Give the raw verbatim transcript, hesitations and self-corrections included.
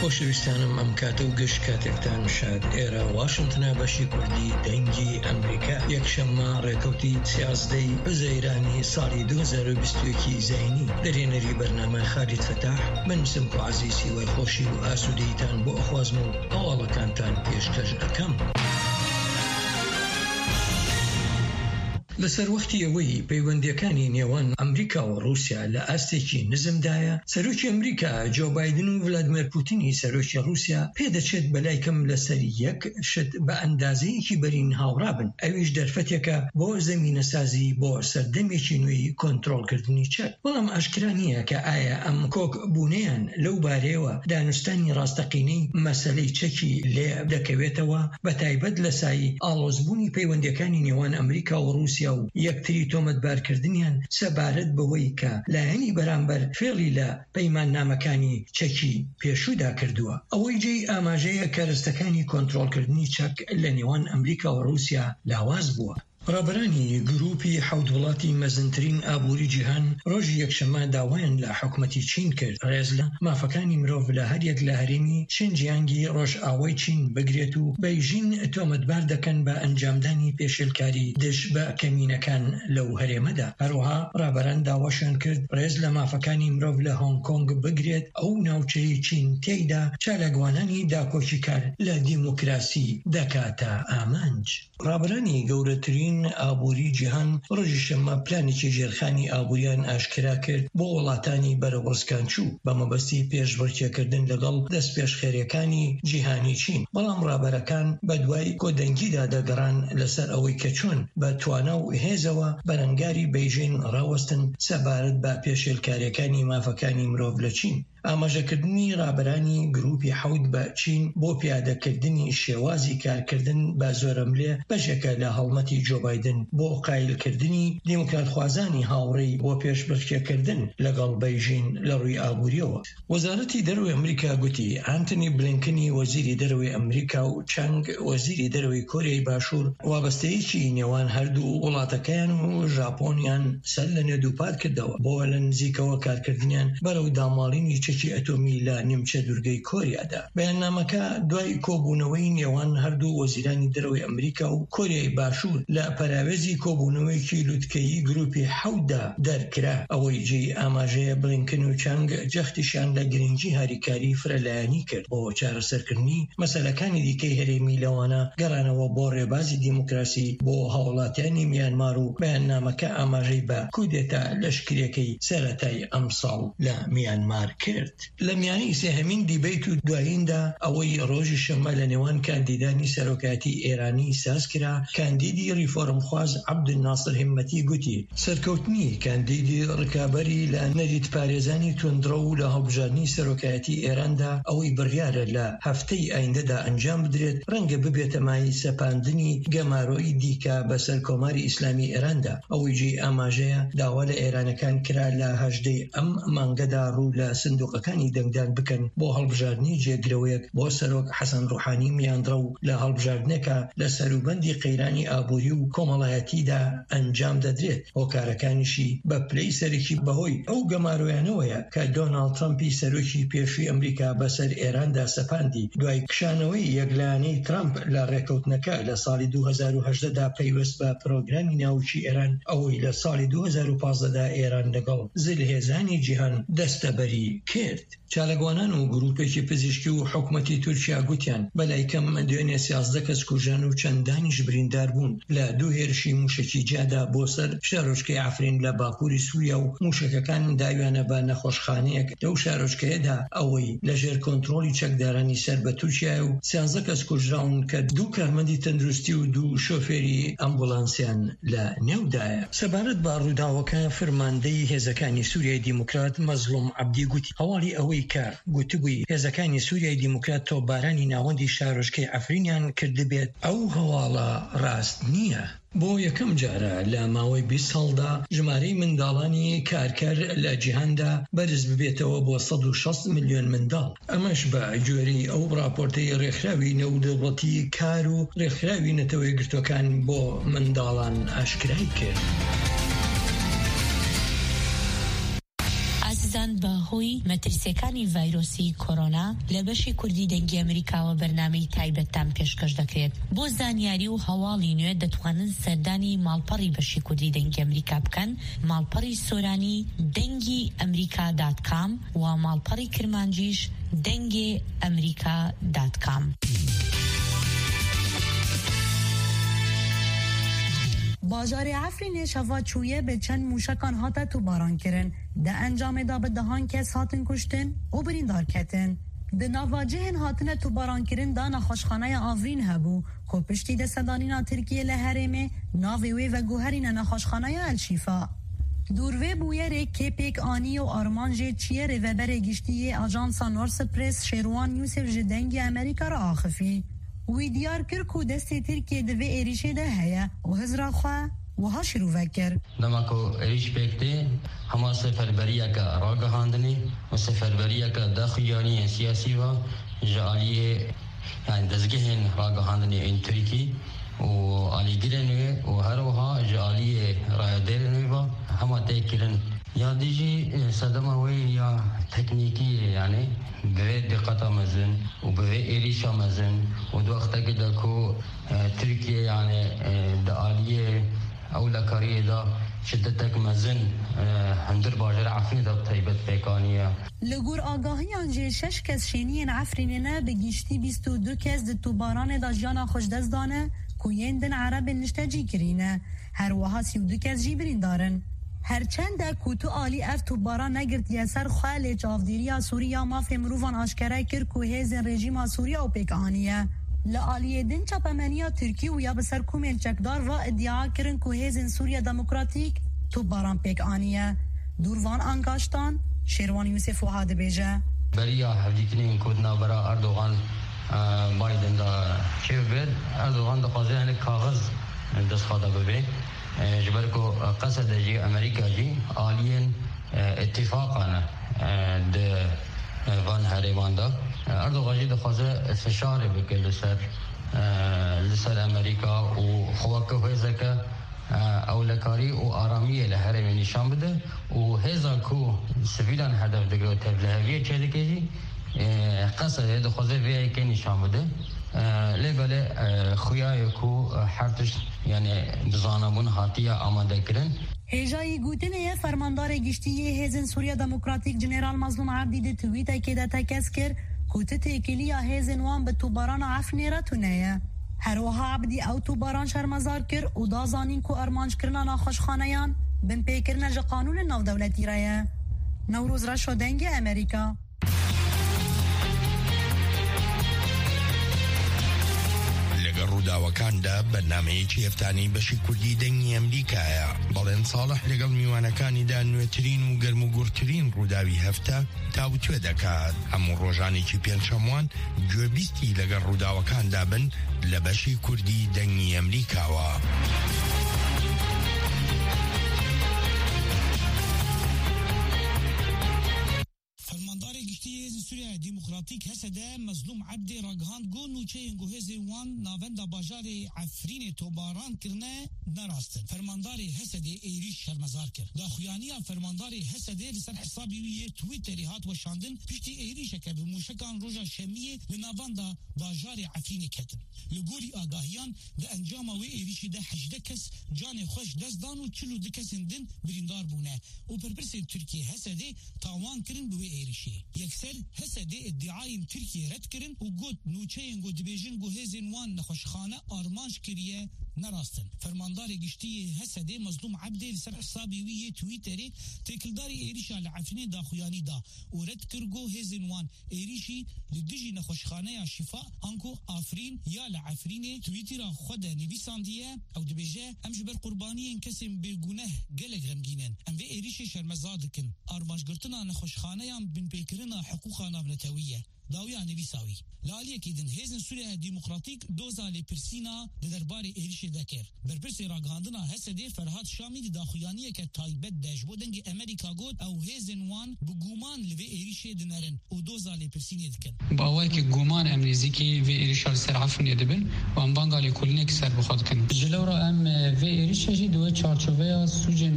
خۆشەویستانم، ئەم کاتە و گشت کاتێکتان شاد. ئێرە واشنتنە، بەشی کوردی دەنگی ئەمریکا. یەکشەممە، ڕێکەوتی سیازدەی حوزەیرانی ساڵی دوو هەزار و بیست و یەکی زینی. دەرێنەری بەرنامە خالید فەتاح. من سمکۆ عەزیز، هیوای خۆشی و ئاسوودەییتان بۆ ئەخوازم و هەواڵەکانتان پێشکەش ئەکەم. لەسەر وەختی ئەوەی پەیوەندیەکانی نێوان ئەمریکا و رووسیا لە ئاستێکی نزمدایە، سەرۆکی ئەمریکا جۆ بایدن و ڤلادمێر پوتینی سەرۆکی رووسیا پێدەچێت بەلای کەم لەسەر یەک شت بە ئەندازەیەکی بەرین هاوڕا بن. ئەویش دەرفەتێکە بۆ زەمینەسازی بۆ سەردەمێکی نوێی کۆنترۆلکردنی چەک. بەڵام ئاشکرا نییە کە ئایا ئەم کۆک بوونیان لەو بارەیەوە دانوستانی ڕاستەقینەی مەسەلەی چەکی لێ دەکەوێتەوە، بە تایبەت لە سایی ئاڵۆزبوونی پەیوەندیەکانی نێوان ئەمریکا و رووسیا و یەکتری تۆمەتبارکردنیان سەبارەت بەوەی کە لایەنی بەرامبەر فێڵی لە پەیماننامەکانی چەکی پێشوودا کردووە. ئەوەی جێی ئاماژەیە، کەرەستەکانی کۆنترۆلکردنی چەک لە نێوان ئەمریکا و رووسیا لاواز بووە. ڕابەرانی گروپی حەوت وڵاتی مەزنترین ئابووری جیهان ڕۆژی یەکشەممە داوایان لە حکومەتی چین کرد ڕێز لە مافەکانی مرۆڤ لە هەریەک لە هەرێمی شینجیانگی ڕۆژئاوای چین بگرێت و بەیژین تۆمەتبار دەکەن بە ئەنجامدانی پێشێلکاری دژ بە کەمینەکان لەو هەرێمەدا. هەروەها ڕابەران داواشیان کرد ڕێز لە مافەکانی مرۆڤ لە هۆنگ کۆنگ بگرێت، ئەو ناوچەی چین تێیدا چالاکوانانی داکۆکیکار لە دیموکراسی دەکاتە ئامانج. ڕابەرانی گەورەترین ئابووری جیهان ڕۆژی شەممە پلانێکی ژێرخانی ئابووریان ئاشکرا کرد بۆ وڵاتانی بەرەوڕسکانچوو بە مەبەستی پێشبڕکێکردن لەگەڵ دەستپێشخەریەکانی جیهانی چین. بەڵام ڕابەرەکان بە دوای کۆدەنگیدا دەگەڕان لەسەر ئەوەی کە چۆن بە توانا و هێزەوە بەرەنگاری بەیژین ڕاوەستن سەبارەت بە پێشێلکاریەکانی مافەکانی مرۆڤ لە چین. ئاماژەکردنی ڕابەرانی گروپی حەوت بە چین بۆ پیادەکردنی شێوازی کارکردن بە زۆرەملێ بەشێکە لە هەڵمەتی جۆ بایدن بۆ قایلکردنی دیموکراتخوازانی هاوڕێی بۆ پێشبڕکێکردن لەگەڵ بەیژین لە ڕووی ئابووریەوە. وەزارەتی دەرەوەی ئەمریکا گوتی، ئانتنی بلینکنی وەزیری دەرەوەی ئەمریکا و چانگ وەزیری دەرەوەی کۆریای باشوور وابەستەیەکی نێوان هەردوو وڵاتەکەیان و ژاپۆنیان سەر لە نێ دووپات کردەوە بۆ لە نزیکەوە کارکردنیان بەرەو داماڵینی چەکی ئەتۆمی لە نیمچە دوورگەی کۆریادا. بەیاننامەکە دوای کۆبوونەوەی نێوان هەردوو وەزیرانی دەرەوەی ئەمریکا و کۆریای باشوور لە پەراوێزی کۆبوونەوەیەکی لوتکەیی گروپی حەوتدا دەرکرا. ئەوەی جێی ئاماژەیە، بلینکن و چانگ جەختیشیان لە گرنگی هاریکاری فرەلایەنی کرد بۆ چارەسەرکردنی مەسەلەکانی دیکەی هەرێمی، لەوانە گەڕانەوە بۆ ڕێبازی دیموکراسی بۆ هاوڵاتیانی میانمار و بەیاننامەکە ئاماژەی بە کودێتا لەشکریەکەی سەرەتای ئەمساڵ لە میانمار کرد. لە میانەی سێهەمین دیبەیت و دواییندا، ئەوەی ڕۆژی شەممە لە نێوان کاندیدانی سەرۆکایەتی ئێرانی ساز کرا، کاندیدی ریفۆرمخواز عەبدولناسر همەتی گوتی، سەرکەوتنی کاندیدی ڕکابەری لە نەریت پارێزانی توندڕەو و لە هەڵبژاردنی سەرۆکایەتی ئێراندا ئەوەی بڕیارە لە هەفتەی ئایندەدا ئەنجام بدرێت، ڕەنگە ببێتە مایەی سەپاندنی گەمارۆی دیکە بەسەر کۆماری ئیسلامی ئێراندا. ئەوەی جێی ئاماژەیە، داوا لە ئێرانەکان کرا لە هەژدەی ئەم مانگەدا ڕوو لە سندوقەکانی دەنگدان بکەن بۆ هەڵبژاردنی جێگرەوەیەک بۆ سەرۆک حەسەن ڕوحانی میانڕەو لە هەڵبژاردنێکە لە سەروبەندی قەیرانی ئابووری و کۆمەڵایەتیدا ئەنجام دەدرێت. هۆکارەکانیشی بە پلەی سەرەکی بەهۆی ئەو گەمارۆیانەوەیە کە دۆناڵد ترەمپی سەرۆکی پێشووی ئەمریکا بەسەر ئێراندا سەپاندی دوای کشانەوەی یەکلایەنەی ترەمپ لە ڕێکەوتنەکە لە ساڵی دوو هەزار و هەژدە دا پەیوەست بە پرۆگرامی ناوکی ئێران، ئەوەی لە ساڵی دوو هەزار و پازدە دا ئێران لەگەڵ زلهێزانی جیهان دەستەبەری کرد. چالاکوانان و گروپێکی پزیشکی و حکومەتی تورکیا گوتیان، بەلای کەم دوێنێ سیازدە کەس کوژران و چەندانیش بریندار بوون لە دوو هێرشی موشەکی جیادا بۆ سەر شارۆچکەی عەفرین لە باکووری سووریا و موشەکەکان داویانە بە نەخۆشخانەیەک لەو شارۆچکەیەدا، ئەوەی لە ژێر کۆنترۆلی چەکدارانی سەر بە تورکیایە و سیازدە کەس کوژراون کە دوو کارمەندی تەندروستی و دوو شۆفێری ئەمبولانسیان لە نێودایە. سەبارەت بە ڕووداوەکە، فەرماندەی هێزەکانی سووریای دیموکرات مەزلوم عەبدی گوتی، هەواڵی ئەوەی کە گوتبووی هێزەکانی سووریای دیموکرات تۆپبارانی ناوەندی شارۆچکەی عەفرینیان کردبێت، ئەو هەواڵە ڕاست نییە. بۆ یەکەم جارە لە ماوەی بیست ساڵدا ژمارەی منداڵانی کارکەر لە جیهاندا بەرز ببێتەوە بۆ سەد و شەست ملیۆن منداڵ. ئەمەش بە گوێرەی ئەو ڕاپۆرتەی ڕێکخراوی نێودەوڵەتی کار و ڕێکخراوی نەتەوە یەکگرتووەکان بۆ منداڵان ئاشکرای کرد. ئازیزان، بە هۆی مەترسیەکانی ڤایرۆسی کۆرۆنا، لە بەشی کوردی دەنگی ئەمریکاوە بەرنامەی تایبەتتان پێشکەش دەکرێت. بۆ زانیاری و هەواڵی نوێ، دەتوانن سەردانی ماڵپەڕی بەشی کوردی دەنگی ئەمریکا بکەن، ماڵپەڕی سۆرانی دەنگی ئەمریکا دات کام و ماڵپەڕی کرمانجیش دەنگێ ئەمریکا دات کام. Bajarê Efrînê şeva çûye bi çend mûşekan hate tûbaran kirin. Di encamê de bi dehan kes hatin kuştin û birîndar ketin. Di nava cihên hatine tûbarankirin de nexweşxaneya Afrîn hebû, ku piştî destedanîna Tirkiyê li herêmê navê wê veguherîne nexweşxaneya El Şîfa. Dûr vê bûyerê kê pêk anî û armanjê çi ye, rêveberê giştî yê Ajansa Norse Press Şêrwan Yûsif ji Dengê Amerîka re axifî. Wî diyar kir ku destê Tirkiyê di vê êrîşê de heye û hizra xwe wiha şîrove kir. Dema ku êrîş pêk tê, hema seferberiyeke ragihandinê û seferberiyeke daxuyaniyên siyasî ve ji aliyê, yani dezgehên ragihandinê ên Tirkî û alîgirên wê û her wiha ji aliyê rayedêrên wê ve hema tê kirin. Ya dî jî, e, sedema wê ya teknîkî ye, yani bi vê diqeta mezin û bi vê êrîşa mezin û di wextekê de ku, e, Tirkiye, yani, e, di aliyê ewlekariyê de şidetek mezin, e, hundir bajarê Efrînê de bi taybet pêk aniye. Li gor agahiyan jî şeş kes şêniyên Efrînê ne, bi giştî bîst û du kes di tûbaranê de jiyana xwe ji dest dane ku yên din Erebên niştecî kirî ne. Her wiha sî û du kes jî birîndar in. Her çend e ku tu alî ev tûbara negirtiye ser xwe, lê çavdêriya Sûrî ya mafê mirovan aşkere kir ku hêzên rejîma Sûrî ew pêk aniye. Li aliyê din çapemeniya Tirkî û ya bi ser komên çekdar ve îdia kirin ku hêzên Sûriya Demokratîk tûbaran pêk aniye. Dûr van angaştan, Şêrwan Yûsif wiha dibêje. Beriya hevdîtinên ku di navbera Erdogan, e, Biden de çêbibe, Erdogan dixwaze hinek kaxiz dest xwe de bibe. E, ji ber ku Qesede jî, Amerîka jî aliyên, e, îtîfaqa ne, e, di, e, van herêman de. E, Erdogan jî dixwaze fişarê bike li ser, e, li ser Amerîka û xwe weke hêzeke, e, ewlekarî û aramiyê li herêmê nîşan bide û hêza ku sivîlan hedef digire û tevliheviyê çêdike jî, e, Qesede dixwaze vê yekê nîşan bide. E, lê belê, e, xuya ye ku, e, her tişt, yani, bi zanabûn hatiye amadekirin. Hêjayî gotinê ye, Fermandarê Giştî yê Hêzên Sûriya Demokratîk Jeneral Mazlûm Ebdî di twîtekê de tekez kir ku ti têkiliya hêzên wan bi tûbarana Efrînê re tune ye. Her wiha Ebdî ew tûbaran şermezar kir û da zanîn ku armanckirina nexweşxaneyan binpêkirine ji qanûnên navdewletî re ye. Newroz Reşo, Dengê Amerîka. لەگەڵ ڕووداوەکاندا بەرنامەیەکی هەفتانەی بەشی کوردی دەنگی ئەمریکایە. بەڵێن ساڵح لەگەڵ میوانەکانیدا نوێترین و گەرموگوڕترین ڕووداوی هەفتە تاوتوێ دەکات. هەموو ڕۆژانێکی پێنجشەموان گوێبیستی لەگەڵ ڕووداوەکاندا بن لە بەشی کوردی دەنگی ئەمریکاوە. Fermandarê Giştî yê Hêzên Sûriya Demokratîk, H S D, Mezlûm Ebdê ragihand ku nûçeyên ku hêzên wan navenda bajarê Efrînê tobaran kirine ne rast in. Fermandarê H S D êrîş şermezar kir. Daxuyaniya fermandarê H S D li ser hesabê wî yê Twitterê hat weşandin, piştî êrîşeke bi mûşekan roja Şemiyê li navenda bajarê Efrînê ketin. Li gorî agahiyan, di encama wê êrîşî de hejdeh kes canê xwe ji dest dan û çil û du kesên din birîndar bûne û berpirsên Tirkiyê H S D tawan kirin bi wê êrîşê. Yekser H S D îdiayên Tirkiyê red kirin û got, nûçeyên ku dibêjin ku hêzên wan nexweşxane armanc kiriye, ne rast in. Fermandarê Giştî yê H S D Mezlûm Ebdê li ser hesabê wî yê Twitterê têkildarî êrîşa li Efrînê daxuyanî da û red kir ku hêzên wan êrîşî li dijî nexweşxaneya Şîfa anku Afrîn ya li Efrînê Twitter'a xwe de nivîsandiye. Ew dibêje, em ji ber qurbaniyên kesên bêguneh gelek xemgîn in. Em vê êrîşê şermezar dikin. Armancgirtina nexweşxaneyan binpêkirina hiqûqa navnetewî ye. Dawiya nivîsa wî. Li aliyekî din, Hêzên Sûriya Demokratîk doza lêpirsîna di derbarê êrîşê de kir. Berpirsê ragihandina H S D Ferhat Şamî di daxuyaniyeke taybet de ji bo Dengê Amerîka got, ew hêzên wan bi guman li vê êrîşê dinerin û doza lêpirsînê dikin. Bi awayekî guman em nêzîkî vê êrîşa li ser Efrînê dibin û em banga lêkolînekî ser bi xwe dikin. Ji lewra em, e, vê êrîşê jî di wê çarçoveya sûcên